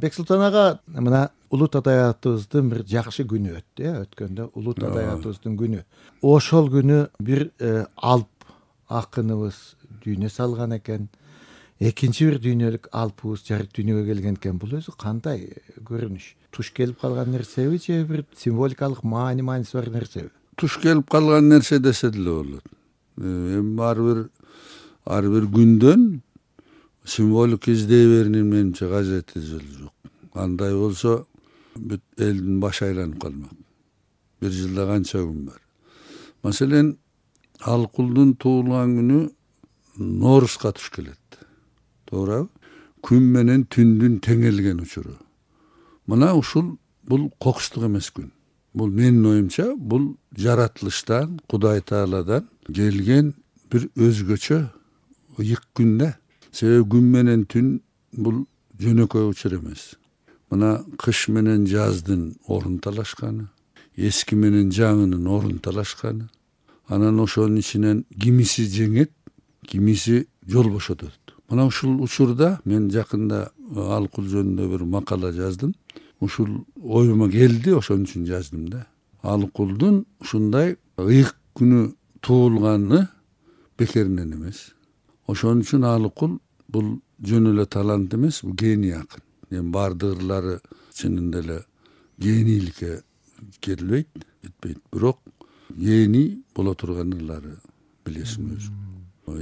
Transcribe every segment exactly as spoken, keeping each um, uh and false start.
Бексултан ага, мына улут адабиятыбыздын бир жакшы күнү өттү, э, өткөндө улут адабиятыбыздын күнү. Ошол күнү бир алп акыныбыз дүйнө салган экен. Экинчи бир дүйнөлүк алпыбыз жарык дүйнөгө келген экен. Бул өзү кандай көрүнүш? Туш келип калган нерсеби же бир символикалык маани мааниси бар нерсеби? Туш келип калган нерсе десе деле болот. Эми ар бир ар бир күндөн символик издей берүүнүн менимче кажети жок. Андай болсо бүт элдин башы айланып калмак. Бир жылда канча күн бар. Маселен, Алкулдун туулган күнү Ноорузга туш келет. Тоорабы? Күн менен түндүн теңелген учуру. Мына ушул бул кокустук эмес күн. Бул менин оюмча, бул жаратылыштан, Кудай Тааладан келген бир өзгөчө ыйык күн да. Себеби күн менен түн бул жөнөкөй учур эмес. Мына кыш менен жаздын орун талашканы, эски менен жаңынын орун талашканы. Анан ошонун ичинен кимиси жеңет, кимиси жол бошотот. Мына ушул учурда мен жакында Алкул жөнүндө бир макала жаздым. Ушул оюма келди, ошон үчүн жаздым да. Алкулдун ушундай ыйык күнү туулганы бекеринен эмес. Ошон үчүн Алкул бул жөн эле талант эмес, бул гений акын. Эми бардык ырлары чынында эле генийликке келбейт, жетпейт, бирок гений боло турган ырлары билесиң өзүң.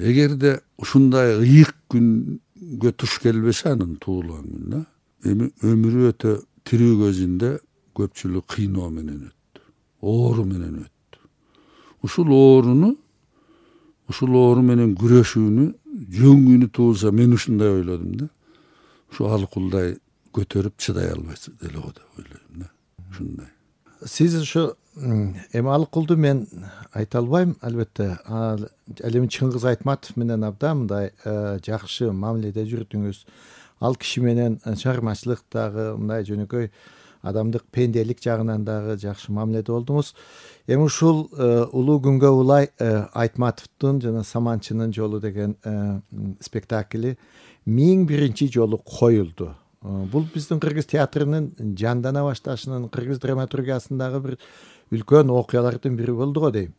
Эгерде ушундай ыйык күнгө туш келбесе анын туулган күнүнө, эми өмүрү өтө тирүү көзүндө көпчүлүк кыйноо менен өттү, оору менен өттү. Ушул ооруну, ушул оору менен күрөшүүнү жөн күнү туулса, мен ушундай ойлодум да. Ушу Алкулдай көтөрүп чыдай албайт деле го деп ойлойм да. Ушундай. Сиз ушу эми Алкулду мен айта албайм, албетте. Ал эми Чыңгыз Айтматов менен абдан мындай жакшы мамиледе жүрдүңүз. Ал киши менен чыгармачылыктагы мындай жөнөкөй адамдык пенделик жагынан дагы жакшы мамиледе болдуңуз. Эми ушул улуу күнгө улай Айтматовдун жана Саманчынын жолу деген спектакли миң биринчи жолу коюлду. Бул биздин кыргыз театрынын жандана башташынын, кыргыз драматургиясындагы бир үлкөн окуялардын бири болду го дейм.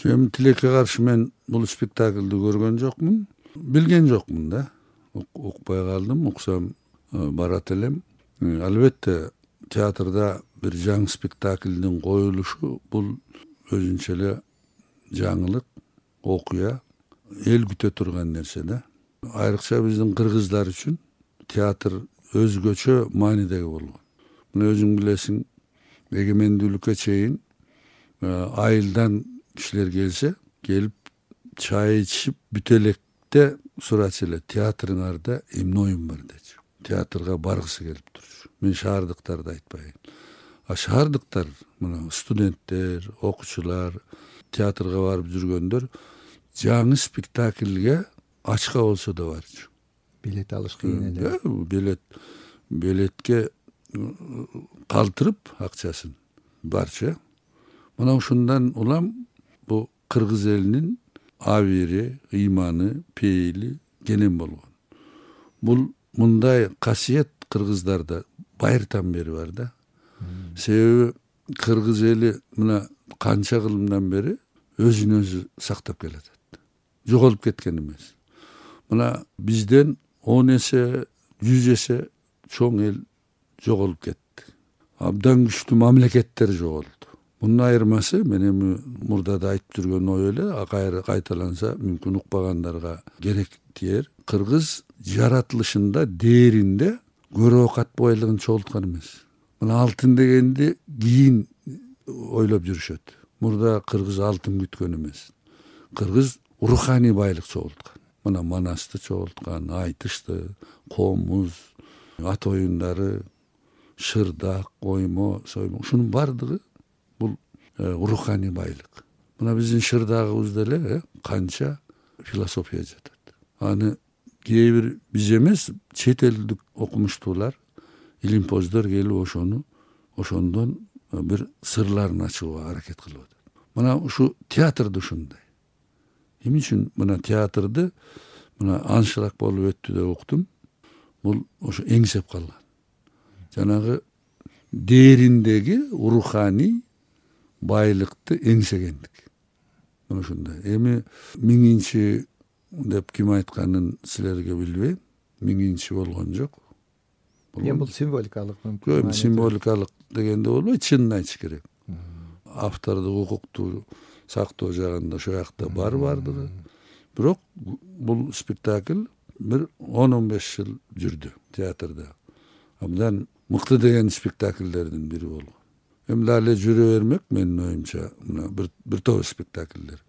Эми тилекке каршы мен бул спектакльди көргөн жокмун, билген жокмун да. Укпай калдым, уксам барат элем. Албетте театрда бир жаңы спектаклдин коюлушу бул өзүнчө эле жаңылык, окуя, эл күтө турган нерсе да. Айрыкча биздин кыргыздар үчүн театр өзгөчө маанидеги болгон. Мына өзүң билесиң, эгемендүүлүккө чейин айылдан кишилер келсе, келип чай ичип бүтө электе сурачу эле, театрыңарда эмне оюн бар дечи. Театрга баргысы келип турчу. Мен шаардыктарды айтпайын. А шаардыктар, мына студенттер, окуучулар, театрга барып жүргөндөр жаңы спектакльге ачка болсо да барчу. Билет алыш кыйын эле. Билет билетке калтырып акчасын барчу. Мына ушундан улам бу кыргыз элинин абири, ыйманы, пейили кенен болгон. Бул мындай касиет кыргыздарда байыртан бери бар да. Себеби кыргыз эли мына канча кылымдан бери өзүн өзү сактап келатат. Жоголуп кеткен эмес. Мына бизден он эсе, жүз эсе чоң эл жоголуп кетти. Абдан күчтүү мамлекеттер жоголду. Мунун айырмасы, мен эми мурда да айтып жүргөн ой эле, кайра кайталанса мүмкүн укпагандарга керек тиер. Кыргыз жаратылышында дээринде көрө окат байлыгын чогулткан эмес. Мына алтын дегенди кийин ойлоп жүрүшөт. Мурда кыргыз алтын күткөн эмес. Кыргыз руханий байлык чогулткан. Мына манасты чогулткан, айтышты, комуз, ат оюндары, шырдак, оймо, соймо, ушунун бардыгы бул руханий байлык. Мына биздин шырдагыбызда эле канча философия жатат. Аны кээ бир биз эмес, чет элдик окумуштуулар, илимпоздор келип ошону, ошондон бир сырларын ачууга аракет кылып атат. Мына ушу театрда ушундай. Эмне үчүн мына театрды мына аншлаг болуп өттү деп уктум. Бул ошо эңсеп калган. жанагы дээриндеги руханий байлыкты эңсегендик. Мына ушундай. Эми миңинчи деп ким айтканын силерге билбейм. Миңинчи болгон жок. Эми бул символикалык мүмкүн. Эми символикалык дегенде болбойт, чынын айтыш керек. Автордук укукту сактоо жагында ошол жакта бар бардыгы. Бирок бул спектакль бир он он беш жыл жүрдү театрда. Абдан мыкты деген спектакльдердин бири болгон. Эми дагы жүрө бермек менин оюмча мына бир бир топ спектакльдер.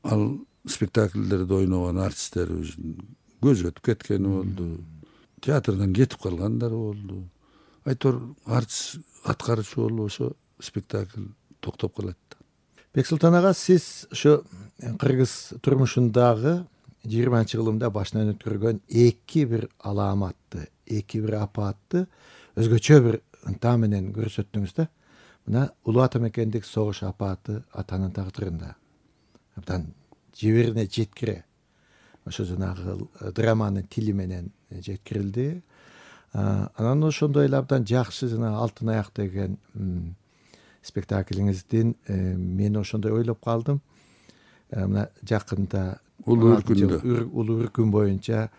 Ал спектакльдерде ойногон артисттерибиздин көзү өтүп кеткени болду. Театрдан кетип калгандары болду. Айтор артист аткаруучу болбосо спектакль токтоп калат. Бексултан ага, сиз ушу кыргыз турмушундагы жыйырманчы кылымда башынан өткөргөн эки бир алааматты, эки бир апаатты өзгөчө бир ынта менен көрсөттүңүз да. Мына Улуу Ата Мекендик согуш апааты атанын тагдырында абдан жиберине жеткире ошо жанагы драманын тили менен жеткирилди. Анан ошондой эле абдан жакшы жана Алтын аяк деген спектаклиңиздин мен ошондой ойлоп калдым. Мына жакында Улуу үркүндө Улуу үркүн боюнча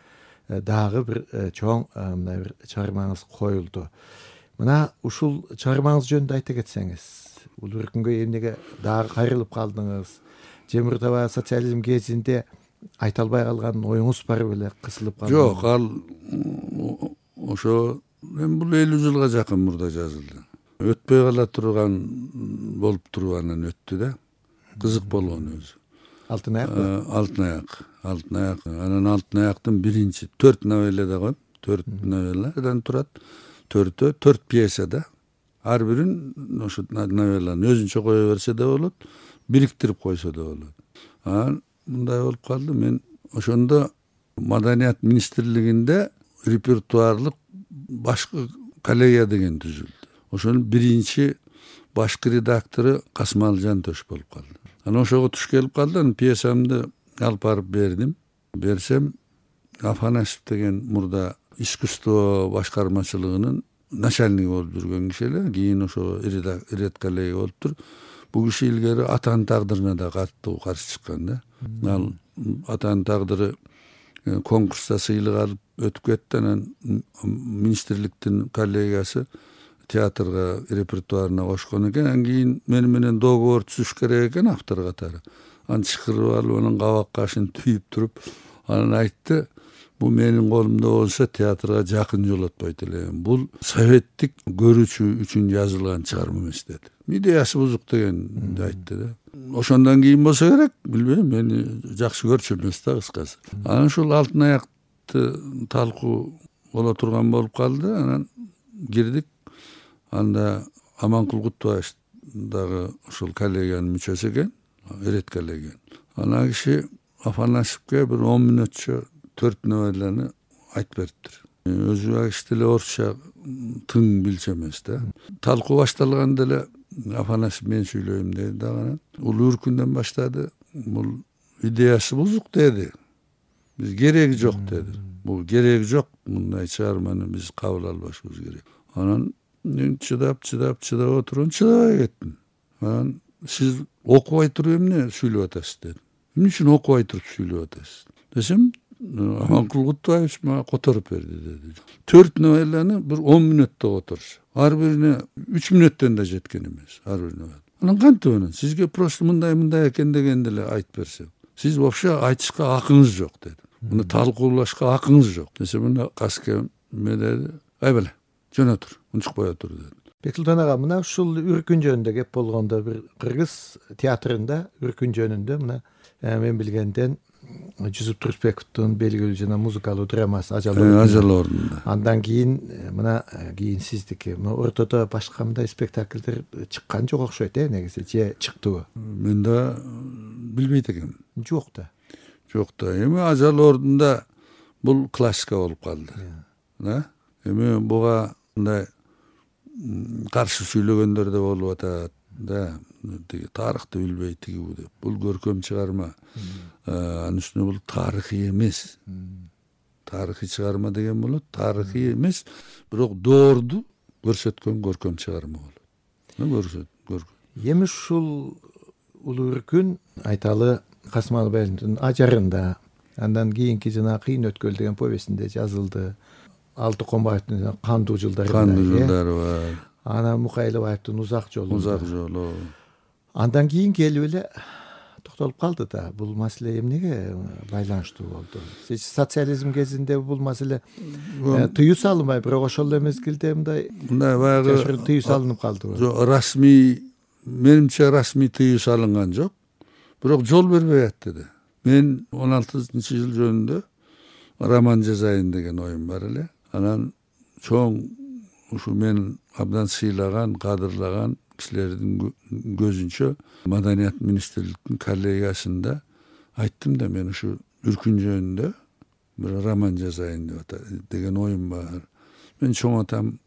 дагы бир чоң мына бир чыгармаңыз коюлду. Мына ушул чыгармаңыз жөнүндө айта кетсеңиз, Улуу үркүнгө эмнеге дагы кайрылып калдыңыз? же мурда социализм кезинде айта албай калган оюңуз бар беле, кысылып калды? Жок, ал ошо эми бул элүү жылга жакын мурда жазылды. Өтпөй кала турган болуп туруп анан өттү да. Кызык болгон өзү. Алтын аяк. Алтын аяк. Алтын аяк. Анан Алтын аяктын биринчи төрт новелла да коем. төрт новелладан турат. Төртөө төрт пьеса да. Ар бирин ошо новелланы өзүнчө кое берсе да болот, бириктирип койсо да болот. Анан мындай болуп калды, мен ошондо Маданият министрлигинде репертуарлык башкы коллегия деген түзүлдү. Ошонун биринчи башкы редактору Касымалы Жантөш болуп калды. Анан ошого туш келип калды, анан пьесамды алып барып бердим. Берсем, Афанасьев деген мурда искусство башкармачылыгынын начальниги болуп жүргөн киши эле, кийин ошо редколлегия болуптур. Бул киши илгери Атанын тагдырына да катуу каршы чыккан да. Ал Атанын тагдыры конкурста сыйлык алып өтүп кетти, анан министрликтин коллегиясы театрга репертуарына кошкон экен. Анан кийин мени менен договор түзүш керек экен автор катары. Аны чакырып алып, анан кабак кашын түйүп туруп, анан айтты, бул менин колумда болсо театрга жакын жолотпойт элем. Бул советтик көрүүчү үчүн жазылган чыгарма эмес деди. Идеясы бузук дегенди айтты да. Ошондон кийин болсо керек, билбейм, мени жакшы көрчү эмес да кыскасы. Анан ушул Алтын аякты талкуу боло турган болуп калды. Анан кирдик. Анда Аманкул Кутбаев дагы ушул коллегиянын мүчөсү экен, эрет коллегия. Ана киши Афанасьевке бир он мүнөтчө төрт новелланы айтып бериптир. Өзү агиш деле орусча тың билчү эмес да. Талкуу башталганда эле Афанасьев мен сүйлөйм деди дагы. Улуу үркүндөн баштады. Бул идеясы бузук деди. Биз кереги жок деди. Бул кереги жок, мындай чыгарманы биз кабыл албашыбыз керек. Анан мен чыдап, чыдап, чыдап отурган, чыдабай кеттим. Анан сиз окубай туруп эмне сүйлөп атасыз деди. Эмне үчүн окубай туруп сүйлөп атасыз десем, Аманкул Кутбаев мага которуп берди деди. Төрт новелланы бир он мүнөттө которуш. Ар бирине үч мүнөттөн да жеткен эмес, ар бирине. Анан кантип анан сизге просто мындай мындай экен дегенди эле айтып берсем, сиз вообще айтышка акыңыз жок деди. Муну талкуулашка акыңыз жок десе, мына каске эме деди. Ай беле, жөн отур, унчукпай отур деди. Бексултан ага, мына ушул үркүн жөнүндө кеп болгондо бир кыргыз театрында үркүн жөнүндө мына мен билгенден Жүсүп Турсбековдун белгилүү жана музыкалуу драмасы Ажал ордунда. Андан кийин мына кийин сиздики. Мына ортодо башка мындай спектакльдер чыккан жок окшойт э, негизи, же чыктыбы? Мен да билбейт экенмин. Жок да. Жок да. Эми Ажал ордунда бул классика болуп калды. Да? Эми буга мындай каршы сүйлөгөндөр да болуп атат. Да, тиги тарыхты билбей тиги бу деп. Бул көркөм чыгарма. Анын үстүнө бул тарыхый эмес. тарыхый чыгарма деген болот. Тарыхый эмес, бирок доорду көрсөткөн көркөм чыгарма болот. Көрсөт, көркөм. Эми ушул улуу үркүн айталы Касым Албаевдин ажарында, андан кийинки жана Кыйын өткөл деген повестинде жазылды. Алты Комбаевдин Кандуу жылдары. Кандуу жылдары бар. Анан Мукайлабаевдин Узак жолу. Узак жолу. Андан кийин келип эле токтолуп калды да. Бул маселе эмнеге байланыштуу болду? Социализм кезинде бул маселе тыюу салынбай, бирок ошол эле мезгилде мындай мындай баягы тыюу салынып калдыбы? Жок, расмий, менимче расмий тыюу салынган жок. Бирок жол бербей атты да. Мен он алтынчы жыл жөнүндө роман жазайын деген оюм бар эле. Анан чоң ушу мен абдан сыйлаган, кадырлаган кишилердин көзүнчө Маданият министрликтин коллегиясында айттым да, мен ушу үркүн жөнүндө бир роман жазайын деп деген оюм бар. Мен чоң атам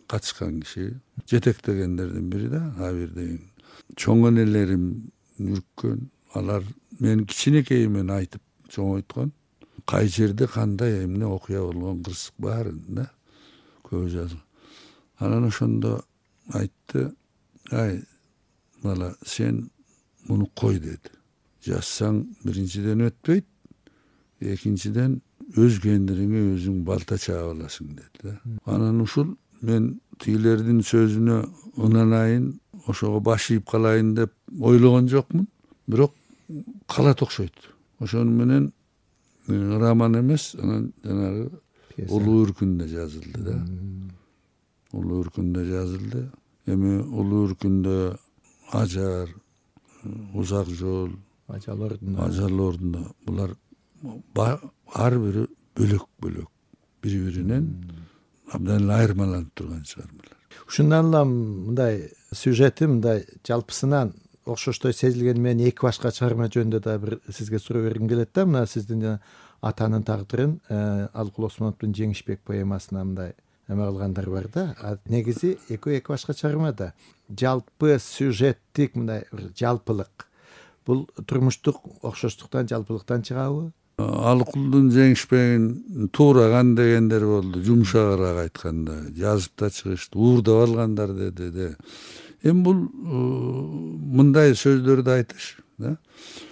катышкан киши, жетектегендердин бири да, Абир деген. Чоң энелерим үрккөн, алар мен кичинекейимен айтып чоңойткон. Кай жерде кандай эмне окуя болгон кырсык баарын да көп жазган. Анан ошондо айтты, ай бала, сен муну кой деди. Жазсаң биринчиден өтпөйт, экинчиден өз кендириңе өзүң балта чаап аласың деди да. Анан ушул мен тигилердин сөзүнө ынанайын, ошого баш ийип калайын деп ойлогон жокмун. Бирок калат окшойт. Ошону менен роман эмес, анан жанагы улуу үркүндө жазылды да. Улуу үркүндө жазылды. Эми улуу үркүндө ажар, узак жол, ажал ордуна, ажал ордуна булар ар бири бөлөк-бөлөк, бири-биринен абдан айырмаланып турган чыгармалар. Ушундан улам мындай сюжети мындай жалпысынан окшоштой сезилген, мен эки башка чыгарма жөнүндө да бир сизге суроо бергим келет да. Мына сиздин атанын тагдырын Алыкул Осмоновдун Жеңишбек поэмасына мындай эме кылгандар бар да. Негизи экөө эки башка чыгарма да. Жалпы сюжеттик мындай жалпылык. Бул турмуштук окшоштуктан, жалпылыктан чыгабы? Алыкулдун Жеңишбегин туураган дегендер болду, жумшагыраак айтканда, жазып да чыгышты, уурдап алгандар деди де. Эми бул мындай сөздөрдү айтыш, да?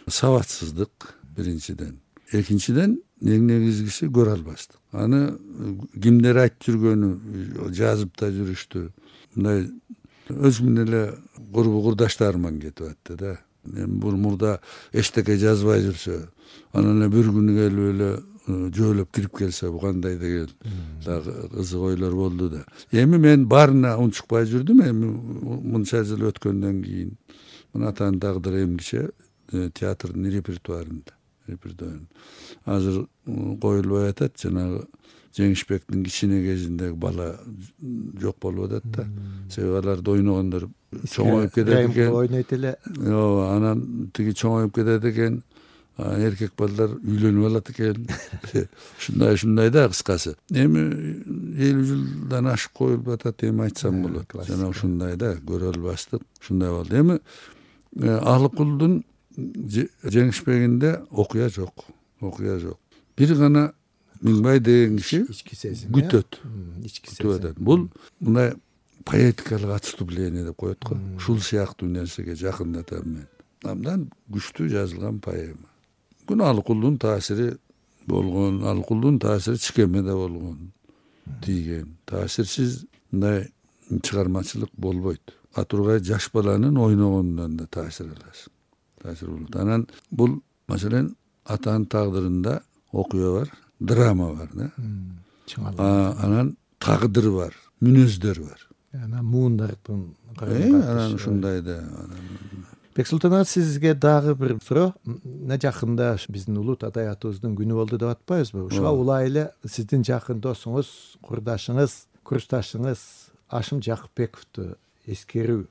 Сабатсыздык биринчиден. Экинчиден эң негизгиси көрө албастык. Аны кимдер айтып жүргөнү жазып да жүрүштү. Мындай өз менен эле курбу курдаштарыман кетип атты да. Эми бул мурда эчтеке жазбай жүрсө, анан эле бир күнү келип эле жөөлөп кирип келсе, бу кандай деген дагы кызык ойлор болду да. Эми мен баарына унчукпай жүрдүм. Эми мынча жыл өткөндөн кийин мына атанын тагдыры эмгиче театрдын репертуарында. Азыр коюлбай атат, жанагы Жеңишбектин кичине кезиндеги бала жок болуп атат да. Себеби аларды ойногондор чоңоюп кетет экен. Ойнойт эле. Ооба, анан тиги чоңоюп кетет экен. Эркек балдар үйлөнүп алат экен. Ушундай ушундай да кыскасы. Эми элүү жылдан ашып коюлуп атат, эми айтсам болот. Жана ушундай да көрө албастык, ушундай болду. Эми Алыкулдун Жеңишбегинде окуя жок, окуя жок. Бир гана Миңбай деген киши күтөт. Ички сезим. Бул мындай поэтикалык отступление деп коет го. Ушул сыяктуу нерсеге жакындатам мен. Абдан күчтүү жазылган поэма. Күн Алыкулдун таасири болгон, Алыкулдун таасири Чикемеде болгон, тийген. Таасирсиз мындай чыгармачылык болбойт. А тургай жаш баланын ойногондон да таасир аласың. Таасир болот. Анан бул маселен атанын тагдырында окуя бар, драма бар да. Анан тагдыр бар, мүнөздөр бар. Анан муундардын анан ушундай да. Бексултан ага, сизге дагы бир суроо. Мына жакында биздин улут адабиятыбыздын күнү болду деп атпайбызбы? Ушуга улай эле сиздин жакын досуңуз, курдашыңыз, курсташыңыз Ашым Жакыпбековду эскерүү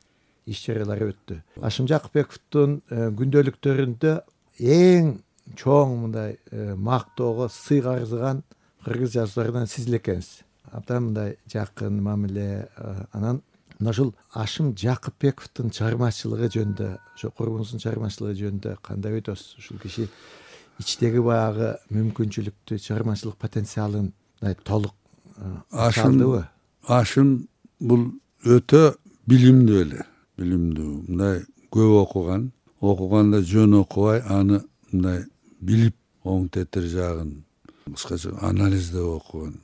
иш-чаралары өттү. Ашым Жакыпбековдун күндөлүктөрүндө эң чоң мындай мактоого сый карызган кыргыз жазууларынан сиз эле экенсиз. Абдан мындай жакын мамиле. Анан мына ушул Ашым Жакыпбековдун чыгармачылыгы жөнүндө, ошо курбуңуздун чыгармачылыгы жөнүндө кандай ойдосуз? Ушул киши ичтеги баягы мүмкүнчүлүктү, чыгармачылык потенциалын толук ашым алдыбы? Ашым бул өтө билимдүү эле, билимдүү. Мындай көп окуган, окуганда жөн окубай, аны мындай билип оң тетир жагын кыскача анализдеп окуган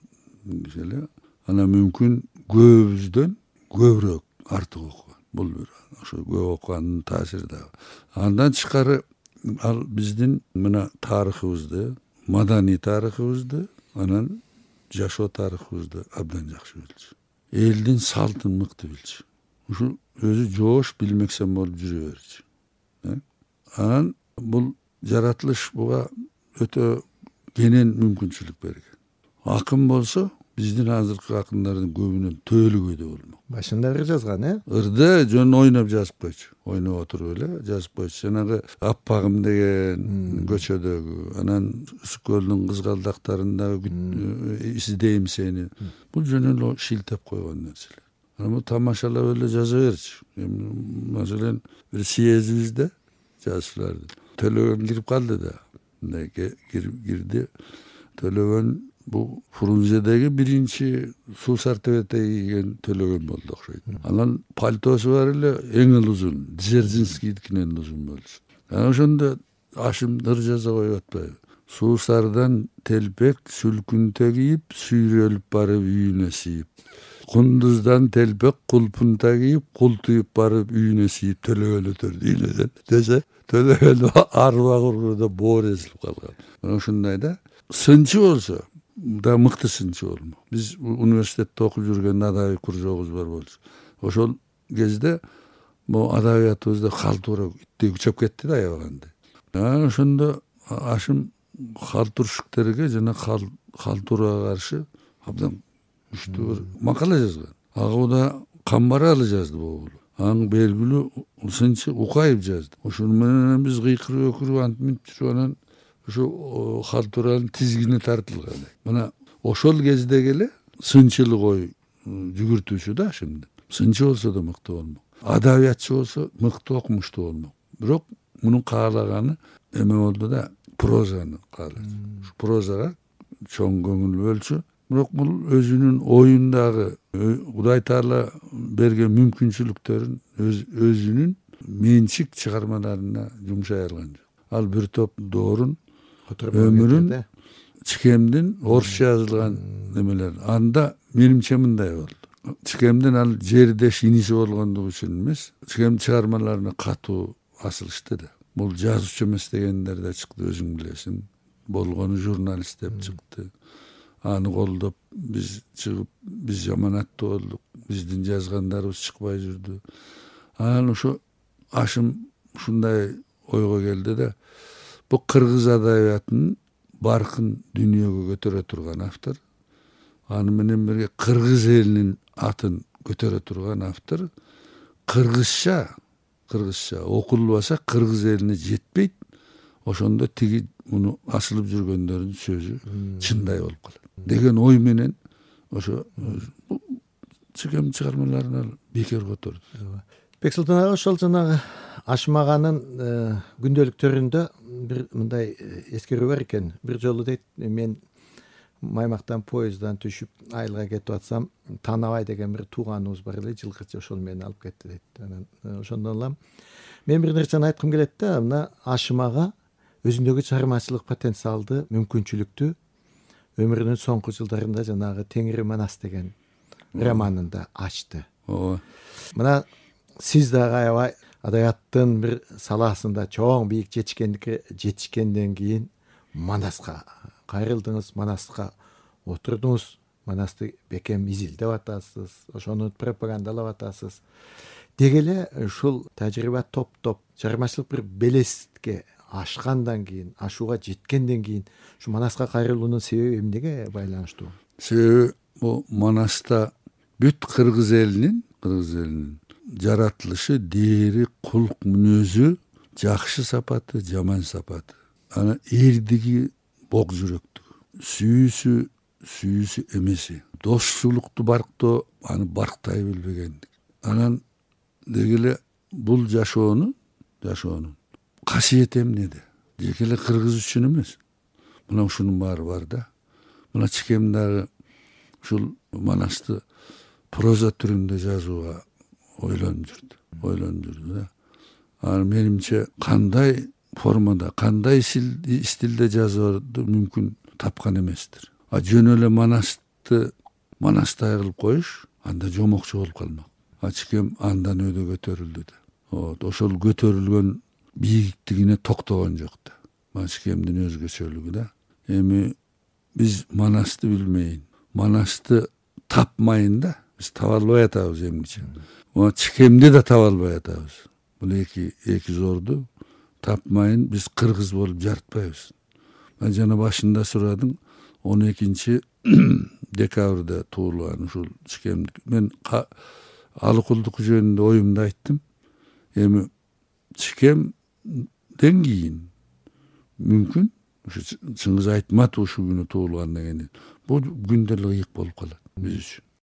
киши эле. Ана мүмкүн көбүбүздөн көбүрөөк артык окуган. Бул бир ошо көп окугандын таасири да. Андан тышкары ал биздин мына тарыхыбызды, маданий тарыхыбызды, анан жашоо тарыхыбызды абдан жакшы билчү. Элдин салтын мыкты билчү. Ушу өзү жоош билмексен болуп жүрө берчү. Анан бул жаратылыш буга өтө кенен мүмкүнчүлүк берген. Акын болсо биздин азыркы акындардын көбүнөн төөлүгөйдө болмок. Башында ыр жазган, э? Ырды жөн ойноп жазып койчу. Ойноп отуруп эле жазып койчу. Жанагы Аппагым деген көчөдөгү, анан Ысык көлдүн кызгалдактарындагы издейм сени. Бул жөн эле шилтеп койгон нерселер. Анан бу тамашалап эле жаза берчү. Маселен, бир съездибизде жазууларды Төлөгөн кирип калды да. Мындай кирди. Төлөгөн бу Фрунзедеги биринчи суусар тебете кийген Төлөгөн болду окшойт. Анан пальтосу бар эле эң эле узун, Дзержинскийдикинен узун болчу. Анан ошондо Ашым ыр жаза коюп атпайбы? Суусардан телпек сүлкүнтө кийип, сүйрөлүп барып үйүнө сийип. Кундуздан телпек кулпунта кийип, култуюп барып үйүнө сийип Төлөгөн өтөрдү үйүнөн десе, Төлөгөн арба кургуда боор эзилип калган. Мына ушундай да. Сынчы болсо да мыкты сынчы болмок. Биз университетте окуп жүргөндө адабий кружогубуз бар болчу. Ошол кезде могу адабиятыбызда халтура иттей күчөп кетти да аябаганда. Анан ошондо Ашым халтуршиктерге жана халтурага каршы абдан күчтүү бир макала жазган. Агууда Камбаралы жазды бул. Аң белгилүү сынчы Укаев жазды. Ошону менен биз кыйкырып өкүрүп антип жүрүп анан ошо халтуранын тизгини тартылган. Мына ошол кездеги эле сынчылык ой жүгүртүүчү да Ашымды. Сынчы болсо да мыкты болмок. Адабиятчы болсо мыкты окумуштуу болмок. Бирок мунун каалаганы эме болду да, прозаны каалады. Прозага чоң көңүл бөлчү. Бирок бул өзүнүн оюндагы Кудай Таала берген мүмкүнчүлүктөрүн өзүнүн менчик чыгармаларына жумшай алган жок. Ал бир топ доорун, өмүрүн, Чикемдин орусча жазылган немелер. Анда менимче мындай болду. Чикемдин ал жердеш иниси болгондугу үчүн эмес, Чикем чыгармаларына катуу асылышты да. Бул жазуучу эмес дегендер да чыкты, өзүң билесиң. Болгону журналист деп чыкты. Аны колдоп биз чыгып, биз жаман аттуу болдук. Биздин жазгандарыбыз чыкпай жүрдү. Анан ошо Ашым ушундай ойго келди да, бу кыргыз адабиятынын баркын дүйнөгө көтөрө турган автор, аны менен бирге кыргыз элинин атын көтөрө турган автор, кыргызча, кыргызча окулбаса кыргыз элине жетпейт. Ошондо тиги муну асылып жүргөндөрдүн сөзү чындай болуп калат деген ой менен ошо Чикем чыгармаларын бекер которду. Бексултан ага ошол жанагы Ашым аганын күндөлүктөрүндө бир мындай эскерүү бар экен. Бир жолу дейт, мен Маймактан поезддан түшүп айылга кетип атсам, Танабай деген бир тууганыбыз бар эле, жылкычы, ошол мени алып кетти дейт. Анан ошондон улам мен бир нерсени айткым келет да, мына Ашым ага өзүндөгү чыгармачылык потенциалды, мүмкүнчүлүктү өмүрүнүн соңку жылдарында жанагы Теңири Манас деген романында ачты. Ооба. Мына сиз дагы аябай адабияттын бир салаасында чоң бийик жетишкендикке жетишкенден кийин Манаска кайрылдыңыз, Манаска отурдуңуз, Манасты бекем изилдеп атасыз, ошону пропагандалап атасыз. Деги эле ушул тажрыйба топ-топ чыгармачылык бир белеске ашкандан кийин, ашууга жеткенден кийин ушу Манаска кайрылуунун себеби эмнеге байланыштуу? Себеби бу Манаста бүт кыргыз элинин, кыргыз элинин жаратылышы, дээри, кулк мүнөзү, жакшы сапаты, жаман сапаты. Ана эрдиги бок жүрөктүгү, сүйүүсү, сүйүүсү эмеси, достуулукту барктоо, аны барктай билбегендик. Анан деги эле бул жашоонун, жашоонун касиети эмнеде? жеке эле кыргыз үчүн эмес. Мына ушунун баары бар да. Мына Чикем дагы ушул Манасты проза түрүндө жазууга ойлонуп жүрдү. Ойлонуп жүрдү да. Анан менимче кандай формада, кандай стилде жазууду мүмкүн тапкан эместир. А жөн эле Манасты Манастай кылып коюш анда жомокчу болуп калмак. А Чикем андан өйдө көтөрүлдү да. Вот, ошол көтөрүлгөн бийиктигине токтогон жок да. Мына Чикемдин өзгөчөлүгү да. Эми биз Манасты билмейин, Манасты тапмайын да, биз таба албай атабыз эмгиче. Мына Чикемди да таба албай атабыз. Бул эки эки зорду тапмайын биз кыргыз болуп жарытпайбыз. Мен жана башында сурадың, он экинчи декабрда туулган ушул Чикем. Мен Алыкулдук жөнүндө оюмду айттым. Эми Чикемден кийин мүмкүн ушу Чыңгыз Айтматов ушул күнү туулгандан кийин бул күн деле ыйык болуп калат биз үчүн.